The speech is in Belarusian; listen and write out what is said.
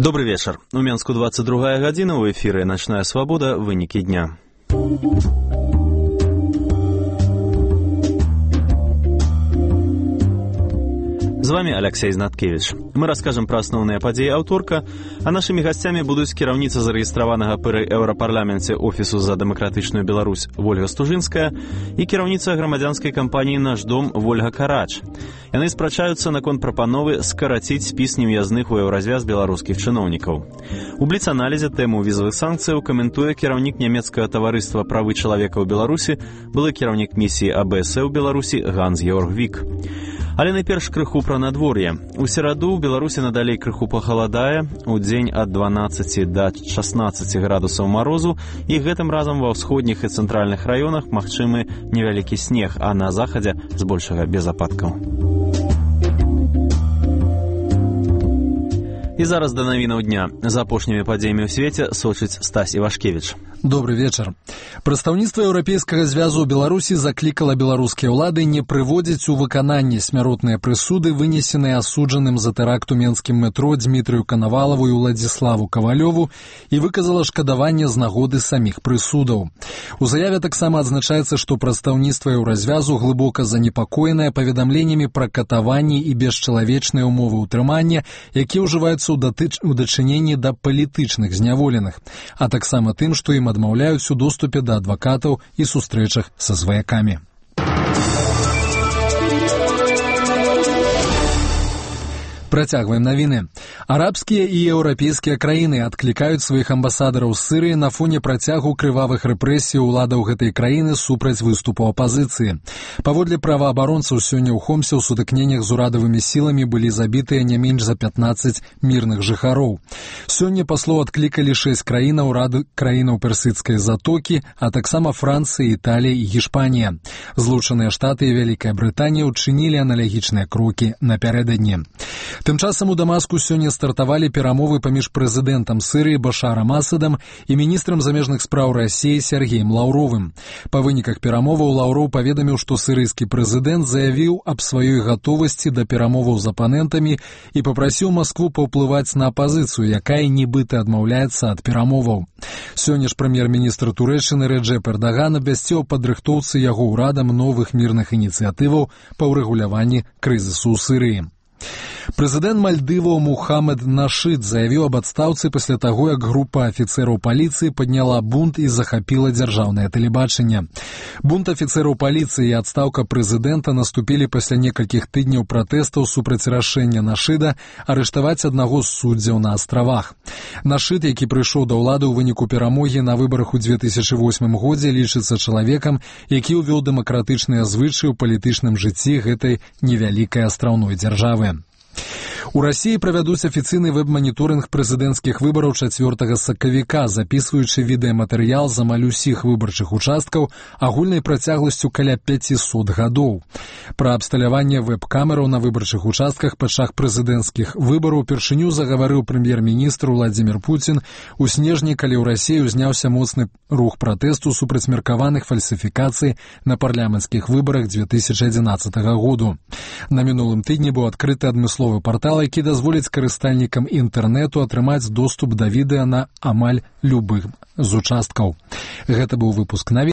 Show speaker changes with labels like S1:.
S1: Добрый вечер. У Менску 22 гадзіна, у эфіры «Ночная свобода. Вынікі дня». З вами Алексей Знаткевич. Мы расскажем про основные подеи аўторка, а нашими гостями будут кіраўніца зарэгістраванага пры Еўрапарламенце Офісу за дэмакратычную Беларусь Вольга Стужынская і кіраўніца грамадзянскай кампаніі «Наш дом» Вольга Карач. Яны спрачаюцца наконт прапановы скараціць спіс нев'язных у еўразвяз беларускіх чыноўнікаў. У бліц-аналізе тэму візавых санкцыяў каментуе кіраўнік нямецкага таварыства правы чалавека ў Беларусі, былы кіраўнік місіі АБС ў Беларусі Ганс-Георг Вік. Але найперш крыху пра надвор'е. У сераду ў Беларусі надалей крыху пахаладае, у дзень ад 12 да 16 градусаў марозу, і гэтым разам ва ўсходніх і цэнтральных раёнах магчымы невялікі снег, а на захадзе збольшага без ападкаў. І зараз да навінаў дня. За апошнімі падзеямі ў свеце сочыць Стась Івашкевіч.
S2: Добрый вечер. Прадстаўніцтва Еўрапейскага звязу ў Беларусі заклікала беларускія ўлады не прыводзіць у выкананне смяротныя прысуды, вынесеныя асуджаным за тэракт у менскім метро Дмітрыю Канавалаву і Уладзіславу Кавалёву, і выказала шкадаванне з нагоды саміх прысудаў. У заяве таксама адзначаецца, што прадстаўніцтва Еўразвязу глыбока занепакоенае паведамленнямі пра катаванні і бесчалавечныя ўмовы ўтрымання, якія ўжываюцца у дачыненні да палітычных зняволеных, а таксама тым, што ім адмаўляюць у доступе да адвакатаў і сустрэчах са сваякамі. Працягваем навіны. Арабскія і еўрапейскія краіны адклікаюць сваіх амбасадараў з Сірыі на фоне працягу крывавых рэпрэсій уладаў гэтай краіны супраць выступу апазіцыі. Паводле праваабаронцаў, сёння ў Хомсе ў сутыкненнях з урадавымі сіламі былі забітыя не менш за 15 мірных жыхароў. Сёння паслоў адклікалі 6 краінаў, рады краінаў Персідскай затокі, а таксама Францыя, Італія і Гішпанія. Злучаныя Штаты і Вялікая Брытанія ўчынілі аналагічныя крокі напярэдадні. Тым часам у Дамаску сёння стартавалі перамовы паміж прэзідэнтам Сірыі Башарам Асадам і міністрам замежных спраў Расіі Сергеем Лаўровым. Па выніках перамоваў Лаўроў паведаміў, што сірыйскі прэзідэнт заявіў аб сваёй гатовасці да перамоваў з апанентамі і папрасіў Маскву паўплываць на апазіцыю, якая нібыта адмаўляецца ад перамоваў. Сёння ж прэм'ер-міністр Турэччыны Рэджэп Эрдаган абвясціў падрыхтоўцы яго ўрадам новых мірных ініцыятываў па ўрэгуляванні крызісу ў Сірыі. Прэзідэнт Мальдываў Мухаммед Нашид заявіў аб адстаўцы пасля таго, як група афіцэраў паліцыі падняла бунт і захапіла дзяржаўнае тэлебачанне. Бунт афіцэраў паліцыі і адстаўка прэзідэнта наступілі пасля некалькіх тыдняў пратэстаў супраць рашэння Нашида арыштаваць аднаго з суддзяў на астравах. Нашид, які прыйшоў да ўлады ў выніку перамогі на выбарах у 2008 годзе, лічыцца чалавекам, які ўвёў дэмакратычныя звычаі ў палітычным жыцці гэтай невялікай астраўной дзяржавы. У Расіі правядуць афіцыйны вэб-маніторынг прэзідэнцкіх выбараў 4 сакавіка, запісваючы відэаматэрыял з амаль усіх выбарчых участкаў агульнай працягласцю каля 500 гадоў. Пра абсталяванне вэб-камераў на выбарчых участках падчас прэзідэнцкіх выбараў упершыню загаварыў прэм'ер-міністр Владзімір Пуцін у снежні, калі ў Расіі ўзняўся моцны рух пратэсту супраць меркаваных фальсіфікацый на парламенцкіх выбарах 2011 году. На мінулым тыдні быў адкрыты адмысловы партал, які дазволіць карыстальнікам інтэрнэту атрымаць доступ да відэа на амаль любых з участкаў. Гэта быў выпуск навін.